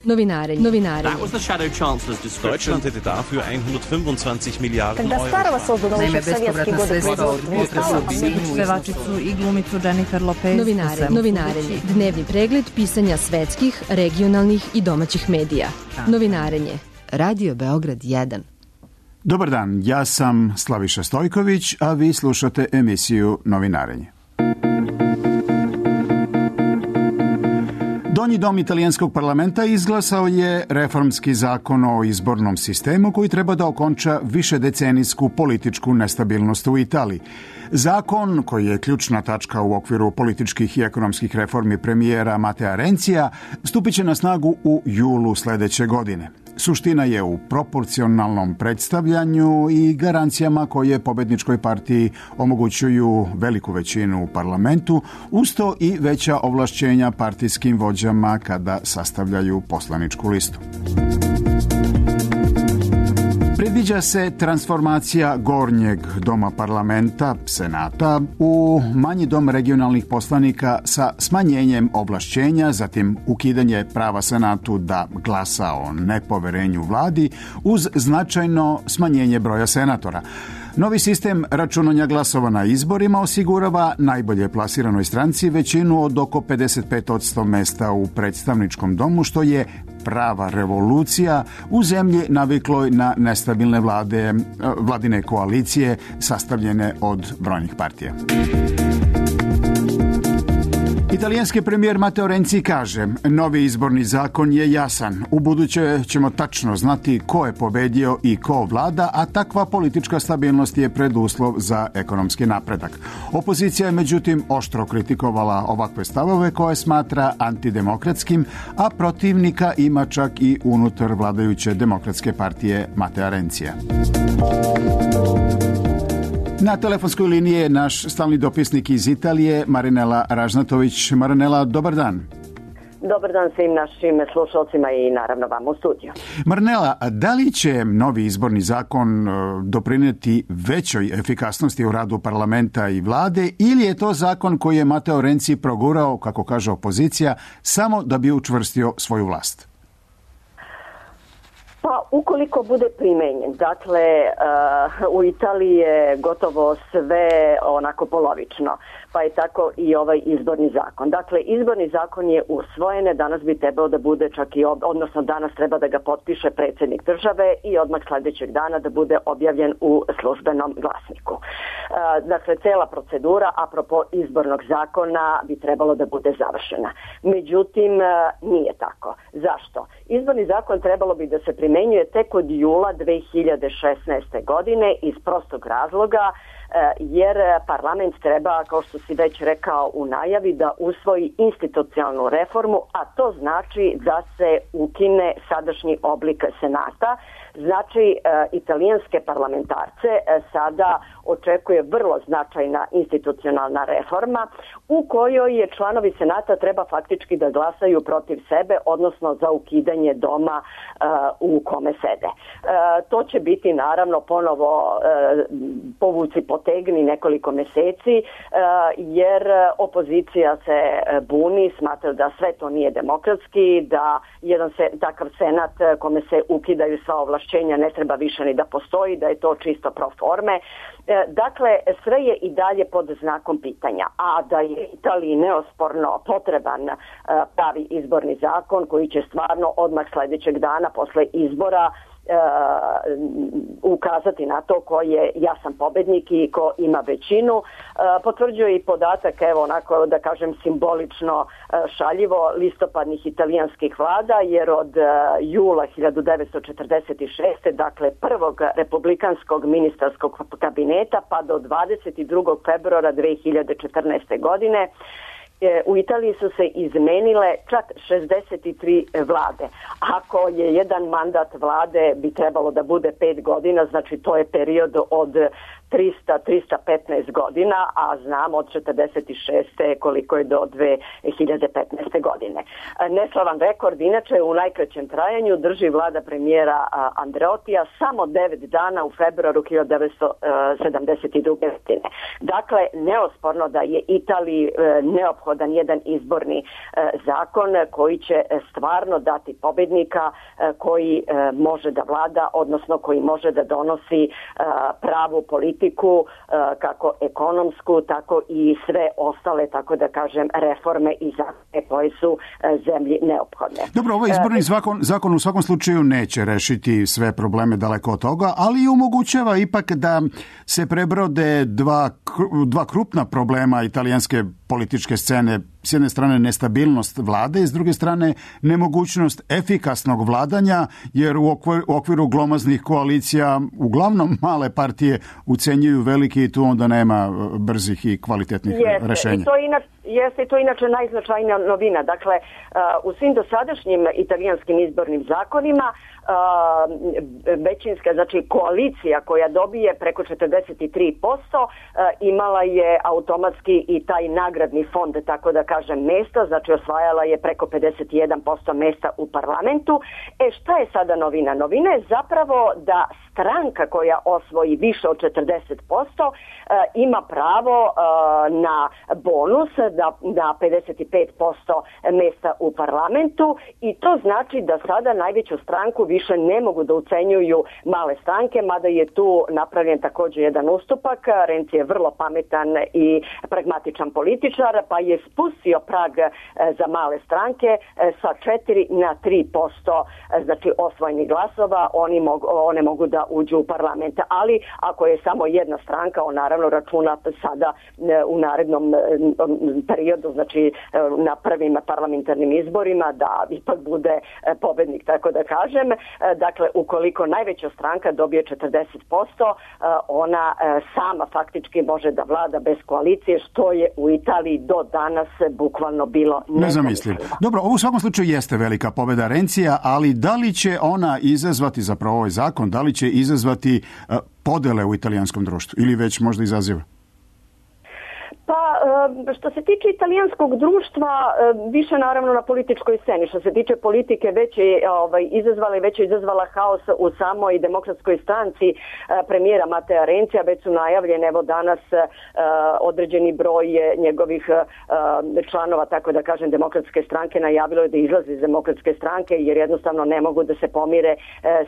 That was the shadow chancellor's description. Deutschland hätte dafür 125 Milijarden Euro. Naime, bespovratna sredstva od potresa u Sinju, pevačicu i glumicu Jennifer Lopez. Novinarenje. Dnevni pregled pisanja svetskih, regionalnih i domaćih medija. Novinarenje. Radio Beograd 1. Dobar dan, ja sam Slaviša Stojković, a vi slušate emisiju Novinarenje. Donji dom italijanskog parlamenta izglasao je reformski zakon o izbornom sistemu koji treba da okonča višedecenijsku političku nestabilnost u Italiji. Zakon, koji je ključna tačka u okviru političkih i ekonomskih reformi premijera Matea Renzija, stupit će na snagu u julu sledeće godine. Suština je u proporcionalnom predstavljanju i garancijama koje pobedničkoj partiji omogućuju veliku većinu u parlamentu, usto i veća ovlašćenja partijskim vođama kada sastavljaju poslaničku listu. Predviđa se transformacija gornjeg doma parlamenta, senata, u manji dom regionalnih poslanika sa smanjenjem ovlašćenja, zatim ukidanje prava senatu da glasa o nepoverenju vladi uz značajno smanjenje broja senatora. Novi sistem računanja glasova na izborima osigurava najbolje plasiranoj stranci većinu od oko 55% mesta u predstavničkom domu, što je prava revolucija u zemlji navikloj na nestabilne vladine koalicije sastavljene od brojnih partija. Italijanski premijer Matteo Renzi kaže, novi izborni zakon je jasan. Ubuduće ćemo tačno znati ko je pobedio i ko vlada, a takva politička stabilnost je preduslov za ekonomski napredak. Opozicija je međutim oštro kritikovala ovakve stavove koje smatra antidemokratskim, a protivnika ima čak i unutar vladajuće demokratske partije Matea Renzija. Na telefonskoj liniji je naš stalni dopisnik iz Italije, Marinela Ražnatović. Marinela, dobar dan. Dobar dan svim našim slušalcima i naravno vam u studiju. Marinela, da li će novi izborni zakon doprineti većoj efikasnosti u radu parlamenta i vlade ili je to zakon koji je Matteo Renzi progurao, kako kaže opozicija, samo da bi učvrstio svoju vlast? Pa ukoliko bude primenjen, dakle u Italiji je gotovo sve onako polovično, pa je tako i ovaj izborni zakon. Dakle, izborni zakon je usvojen, danas bi trebao da bude čak i, odnosno danas treba da ga potpiše predsjednik države i odmah sljedećeg dana da bude objavljen u službenom glasniku. Dakle, cela procedura apropo izbornog zakona bi trebalo da bude završena. Međutim, nije tako. Zašto? Izborni zakon trebalo bi da se primenjuje tek od jula 2016. godine iz prostog razloga jer parlament treba, kao što si već rekao u najavi, da usvoji institucionalnu reformu, a to znači da se ukine sadašnji oblik senata. Znači, italijanske parlamentarce sada očekuje vrlo značajna institucionalna reforma u kojoj je članovi senata treba faktički da glasaju protiv sebe, odnosno za ukidanje doma u kome sede. To će biti naravno ponovo povuci potegni nekoliko meseci jer opozicija se buni, smatra da sve to nije demokratski, da jedan takav senat kome se ukidaju sva ovlašćenja ne treba više ni da postoji, da je to čisto pro forme. Dakle, sve je i dalje pod znakom pitanja, a da je Italiji neosporno potreban pravi izborni zakon koji će stvarno odmah sljedećeg dana posle izbora ukazati na to ko je jasan pobednik i ko ima većinu. Potvrđuje i podatak, evo onako da kažem simbolično šaljivo, listopadnih italijanskih vlada, jer od jula 1946. dakle prvog republikanskog ministarskog kabineta pa do 22. februara 2014. godine u Italiji su se izmenile čak 63 vlade. Ako je jedan mandat vlade bi trebalo da bude 5 godina, znači to je period od 315 godina, a znamo od 46. koliko je do 2015. godine. Neslavan rekord, inače u najkraćem trajanju drži vlada premijera Andreotija samo 9 dana u februaru 1972. godine. Dakle, neosporno da je Italiji neophodan jedan izborni zakon koji će stvarno dati pobjednika koji može da vlada, odnosno koji može da donosi pravu politiku, kako ekonomsku, tako i sve ostale, tako da kažem, reforme i zakone koje su zemlji neophodne. Dobro, ovaj izborni zakon u svakom slučaju neće rešiti sve probleme, daleko od toga, ali omogućava ipak da se prebrode dva krupna problema italijanske političke scene. S jedne strane nestabilnost vlade i s druge strane nemogućnost efikasnog vladanja, jer u okviru glomaznih koalicija uglavnom male partije ucenjuju veliki i tu onda nema brzih i kvalitetnih rešenja. Jeste to inače najznačajnija novina. Dakle, u svim dosadašnjim italijanskim izbornim zakonima većinska, znači koalicija koja dobije preko 43% imala je automatski i taj nagradni fond, tako da kažem, mesta, znači osvajala je preko 51% mesta u parlamentu. Šta je sada novina? Novina je zapravo da stranka koja osvoji više od 40% ima pravo na bonus da 55% mesta u parlamentu, i to znači da sada najveću stranku više ne mogu da ucenjuju male stranke, mada je tu napravljen također jedan ustupak. Renzi je vrlo pametan i pragmatičan političar, pa je spustio prag za male stranke sa 4 na 3%, znači osvojenih glasova, one mogu da uđu u parlament. Ali ako je samo jedna stranka, on naravno računa sada u narednom periodu, znači na prvim parlamentarnim izborima, da ipak bude pobednik, tako da kažem. Dakle, ukoliko najveća stranka dobije 40%, ona sama faktički može da vlada bez koalicije, što je u Italiji do danas bukvalno bilo nezamislivo. Dobro, ovo u svakom slučaju jeste velika pobeda Renzija, ali da li će ona izazvati, zapravo ovaj zakon, da li će izazvati podele u italijanskom društvu ili već možda izaziva? Pa, što se tiče italijanskog društva, više naravno na političkoj sceni. Što se tiče politike, već je izazvala haos u samoj demokratskoj stranci premijera Matea Renzija. Već su najavljene, evo danas određeni broj njegovih članova, tako da kažem, demokratske stranke najavilo je da izlazi iz demokratske stranke, jer jednostavno ne mogu da se pomire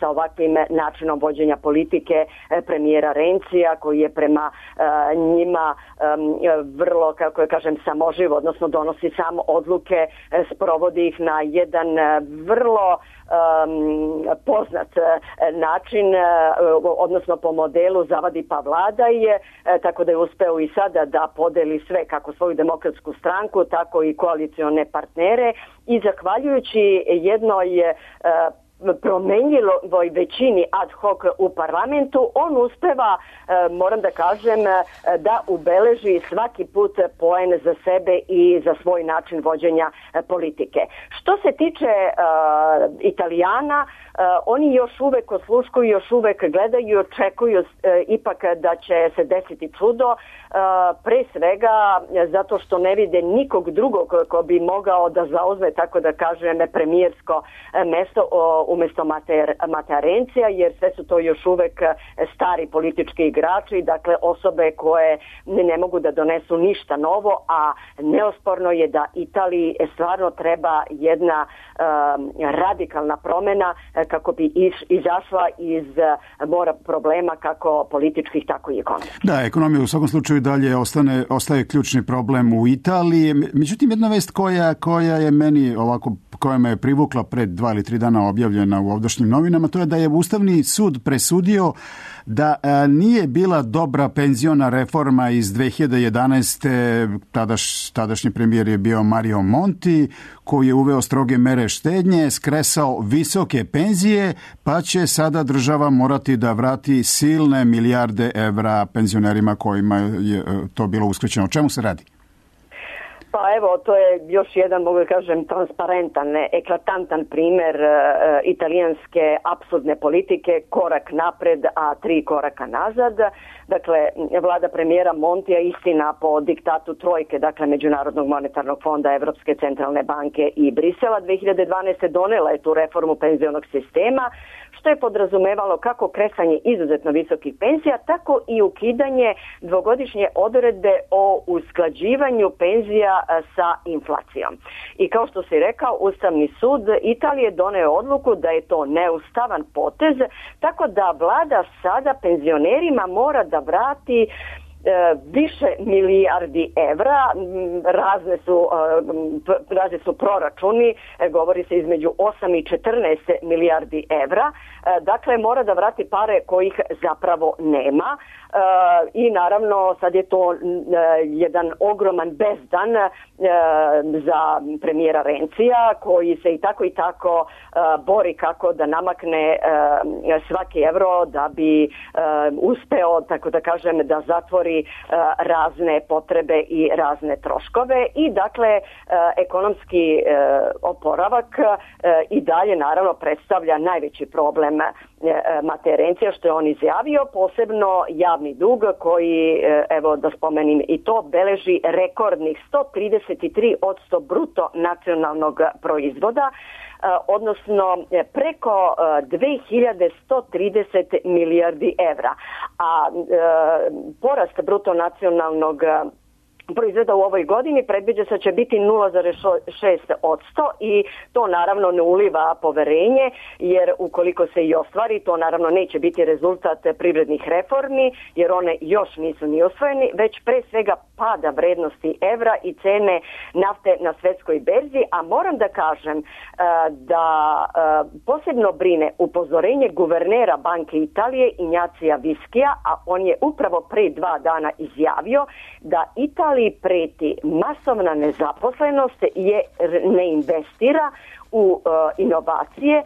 sa ovakvim načinom vođenja politike premijera Renzija, koji je prema njima vrlo, kako je kažem, samoživ, odnosno donosi sam odluke, sprovodi ih na jedan vrlo poznat način, odnosno po modelu zavadi pa vladaj, tako da je uspeo i sada da podeli sve, kako svoju demokratsku stranku, tako i koalicione partnere, i zahvaljujući jednoj promenljivoj većini ad hoc u parlamentu, on uspeva, moram da kažem, da ubeleži svaki put poen za sebe i za svoj način vođenja politike. Što se tiče Italijana, oni još uvek osluškuju, još uvek gledaju i očekuju ipak da će se desiti čudo, pre svega zato što ne vide nikog drugog ko bi mogao da zauzme, tako da kažem, premijersko mesto umjesto Matea Renzija, jer sve su to još uvek stari politički igrači, dakle osobe koje ne mogu da donesu ništa novo, a neosporno je da Italiji stvarno treba jedna radikalna promjena kako bi izašla iz mora problema, kako političkih, tako i ekonomskih. Da, ekonomija u svakom slučaju dalje ostaje ključni problem u Italiji. Međutim, jedna vest koja je meni ovako, koja me je privukla pred 2 ili 3 dana objavljena u ovdašnjim novinama, to je da je Ustavni sud presudio da nije bila dobra penziona reforma iz 2011. Tadašnji premijer je bio Mario Monti, koji je uveo stroge mere štednje, skresao visoke penzije, pa će sada država morati da vrati silne milijarde evra penzionerima kojima je to bilo uskraćeno. O čemu se radi? Pa evo, to je još jedan, mogu da kažem, transparentan, eklatantan primer italijanske apsurdne politike, korak napred, a 3 koraka nazad. Dakle, vlada premijera Montija, istina, po diktatu trojke, dakle Međunarodnog monetarnog fonda, Evropske centralne banke i Brisela, 2012. donela je tu reformu penzionog sistema, što je podrazumevalo kako kresanje izuzetno visokih penzija, tako i ukidanje dvogodišnje odredbe o usklađivanju penzija sa inflacijom. I kao što si rekao, Ustavni sud Italije doneo odluku da je to neustavan potez, tako da vlada sada penzionerima mora da vrati više milijardi evra, razni su proračuni, govori se između 8 i 14 milijardi evra, dakle mora da vrati pare kojih zapravo nema i naravno sad je to jedan ogroman bezdan za premijera Rencija koji se i tako bori kako da namakne svaki evro da bi uspeo, tako da kažem, da zatvori razne potrebe i razne troškove i dakle ekonomski oporavak i dalje naravno predstavlja najveći problem Matej Rencija, što je on izjavio, posebno javni dug koji, evo da spomenim i to, beleži rekordnih 133% bruto nacionalnog proizvoda, odnosno preko 2130 milijardi evra. A porast bruto nacionalnog proizvoda u ovoj godini predviđa se će biti 0,6% i to naravno ne uliva poverenje, jer ukoliko se i ostvari, to naravno neće biti rezultat privrednih reformi, jer one još nisu ni osvojeni, već pre svega pada vrednosti evra i cene nafte na svetskoj berzi, a moram da kažem da posebno brine upozorenje guvernera Banke Italije Ignacija Viskija, a on je upravo pre 2 dana izjavio da Italija preti masovna nezaposlenost jer ne investira u inovacije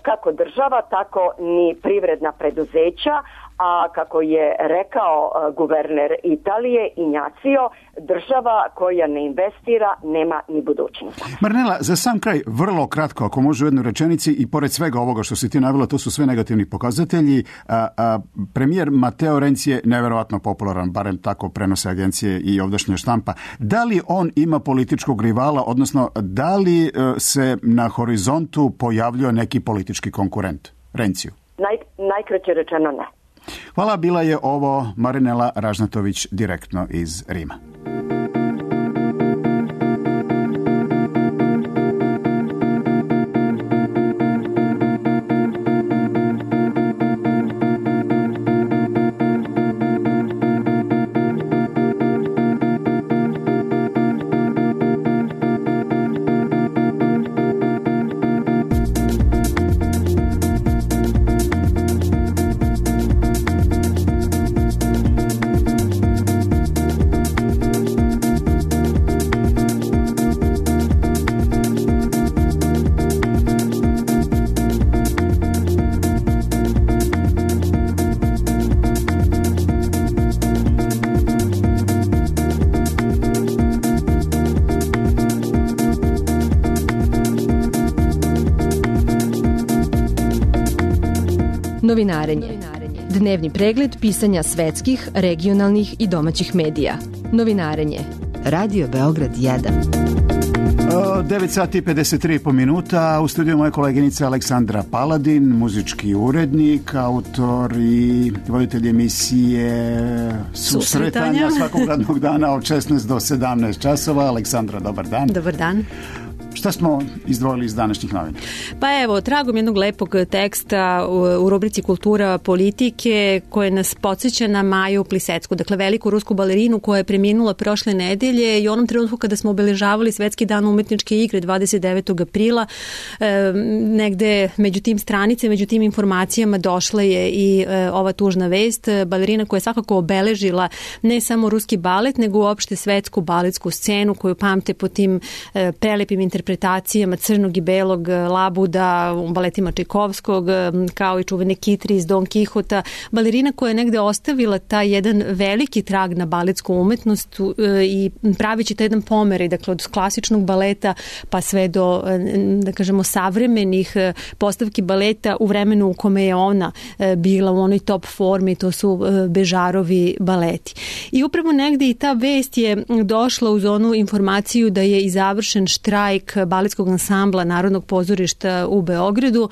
kako država, tako ni privredna preduzeća, a kako je rekao guverner Italije Ignacio, država koja ne investira nema ni budućnost. Marinela, za sam kraj, vrlo kratko, ako može u jednoj rečenici, i pored svega ovoga što si ti navela, to su sve negativni pokazatelji. Premijer Mateo Renzi je neverovatno popularan, barem tako prenose agencije i ovdašnja štampa. Da li on ima političkog rivala, odnosno da li se na horizontu pojavljuje neki politički konkurent Renziju? Najkraće rečeno ne. Hvala, bila je ovo Marinela Ražnatović direktno iz Rima. Novinarenje. Dnevni pregled pisanja svetskih, regionalnih i domaćih medija. Novinarenje. Radio Beograd 1. 9 sati i 53 minuta. U studiju moja koleginica Aleksandra Paladin, muzički urednik, autor i voditelj emisije Susretanja svakog radnog dana od 16 do 17 časova. Aleksandra, dobar dan. Dobar dan. Šta smo izdvojili iz današnjih novina? Pa evo, tragom jednog lepog teksta u rubrici Kultura politike koje nas podsjeća na Maju Plisecku, dakle veliku rusku balerinu koja je preminula prošle nedelje i u onom trenutku kada smo obeležavali Svetski dan umetničke igre 29. aprila, negde među tim stranicama, među tim informacijama došla je i ova tužna vest. Balerina koja je svakako obeležila ne samo ruski balet, nego uopšte svetsku baletsku scenu koju pamte po tim prelepim intervencijama interpretacijama crnog i belog labuda u baletima Čajkovskog, kao i čuvene Kitri iz Don Kihota. Balerina koja je negde ostavila taj jedan veliki trag na baletsku umetnost i pravići taj jedan pomeraj, dakle od klasičnog baleta pa sve do, da kažemo, savremenih postavki baleta u vremenu u kome je ona bila u onoj top formi, to su Bežarovi baleti. I upravo negde i ta vest je došla uz onu informaciju da je i završen štrajk baletskog ansambla Narodnog pozorišta u Beogradu.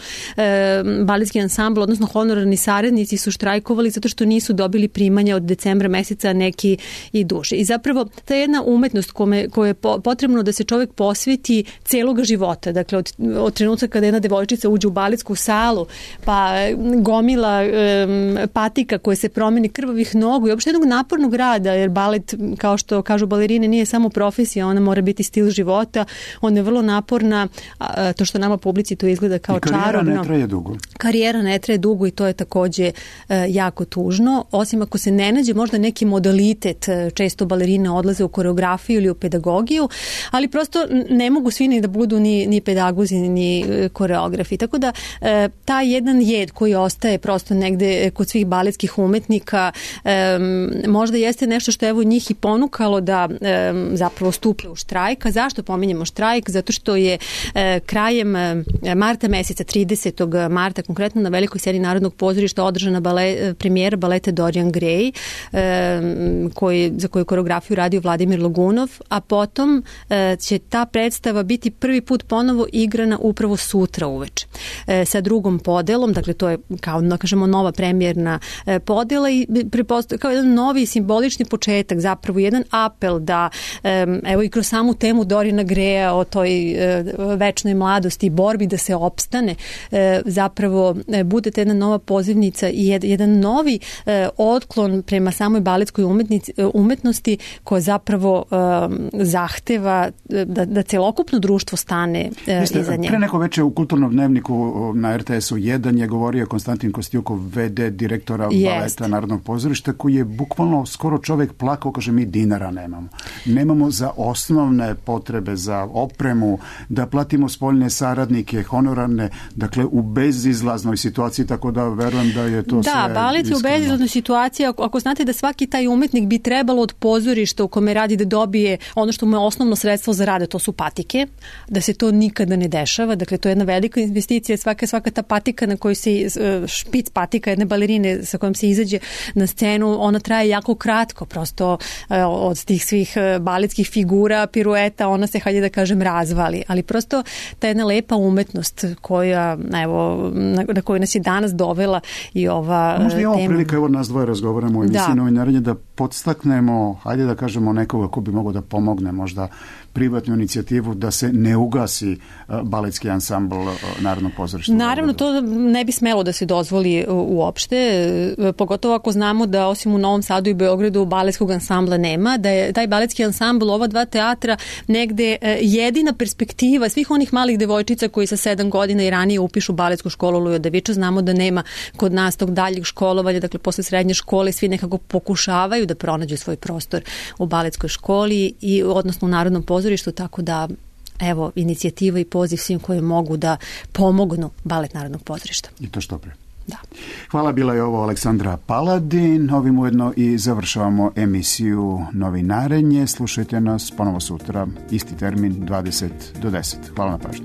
Baletski ansambl, odnosno honorarni saradnici su štrajkovali zato što nisu dobili primanja od decembra meseca, neki i duže. I zapravo ta jedna umetnost koja je potrebno da se čovjek posveti celoga života, dakle od trenutka kada jedna devojčica uđe u baletsku salu, pa gomila patika koje se promeni, krvavih nogu i uopšte jednog napornog rada, jer balet, kao što kažu balerine, nije samo profesija, ona mora biti stil života, ona je vrlo naporna, to što nama publici to izgleda kao čarobno. Karijera ne traje dugo. Karijera ne traje dugo i to je takođe jako tužno, osim ako se ne nađe možda neki modalitet, često balerine odlaze u koreografiju ili u pedagogiju, ali prosto ne mogu svi ni da budu ni pedagozi, ni koreografi. Tako da taj jedan jed koji ostaje prosto negde kod svih baletskih umetnika možda jeste nešto što evo njih i ponukalo da zapravo stuple u štrajk. A zašto pominjemo štrajk? Zato što je krajem marta meseca, 30. marta, konkretno na velikoj sceni Narodnog pozorišta održana premijera baleta Dorian Gray, za koju koreografiju radio Vladimir Logunov, a potom će ta predstava biti prvi put ponovo igrana upravo sutra uveče sa drugom podelom, dakle to je kao da kažemo nova premijerna podela i kao jedan novi simbolični početak, zapravo jedan apel da evo i kroz samu temu Doriana Graya o toj večnoj mladosti i borbi da se opstane, zapravo bude jedna nova pozivnica i jedan novi otklon prema samoj baletskoj umetnosti koja zapravo zahteva da celokupno društvo stane iza nje. Pre neko veče u Kulturnom dnevniku na RTS-u 1 je govorio Konstantin Kostjukov, VD direktora baleta Narodnog pozorišta, koji je bukvalno skoro čovjek plakao, kaže mi dinara nemamo. Nemamo za osnovne potrebe, za opremu, da platimo spoljne saradnike, honorarne, dakle u bezizlaznoj situaciji, tako da verujem da je to sve iskreno. Da, balet je u bezizlaznoj situaciji, ako znate da svaki taj umetnik bi trebalo od pozorišta u kome radi da dobije ono što mu je osnovno sredstvo za rade, to su patike, da se to nikada ne dešava, dakle to je jedna velika investicija, svaka ta patika na kojoj se, špic patika jedne balerine sa kojom se izađe na scenu, ona traje jako kratko, prosto od tih svih baletskih figura, pirueta, ona se, hajde da kažem, razvali, ali prosto ta jedna lepa umetnost koja, evo, na koju nas je danas dovela i ova tema. Možda je ovo prilika, evo nas dvoje razgovaramo u emisiji Novinarenje, da podstaknemo, hajde da kažemo, nekoga ko bi mogao da pomogne možda privatnu inicijativu da se ne ugasi baletski ansambl Narodnog pozorišta. Naravno, to ne bi smelo da se dozvoli uopšte, pogotovo ako znamo da osim u Novom Sadu i Beogradu baletskog ansambla nema, da je taj baletski ansambl, ova dva teatra, negde jedina perspektiva svih onih malih devojčica koji sa 7 godina i ranije upišu baletsku školu Lujo Daviča. Znamo da nema kod nas tog daljeg školovanja, dakle posle srednje škole svi nekako pokušavaju da pronađu svoj prostor u baletskoj školi i odnosno u Narodnom pozorištu, tako da evo inicijativa i poziv svim koji mogu da pomognu balet Narodnog pozorišta. I to što pre. Da. Hvala, bila je ovo Aleksandra Paladin. Ovim ujedno i završavamo emisiju Novinarenje. Slušajte nas ponovo sutra, isti termin, 20 do 10. Hvala na pažnju.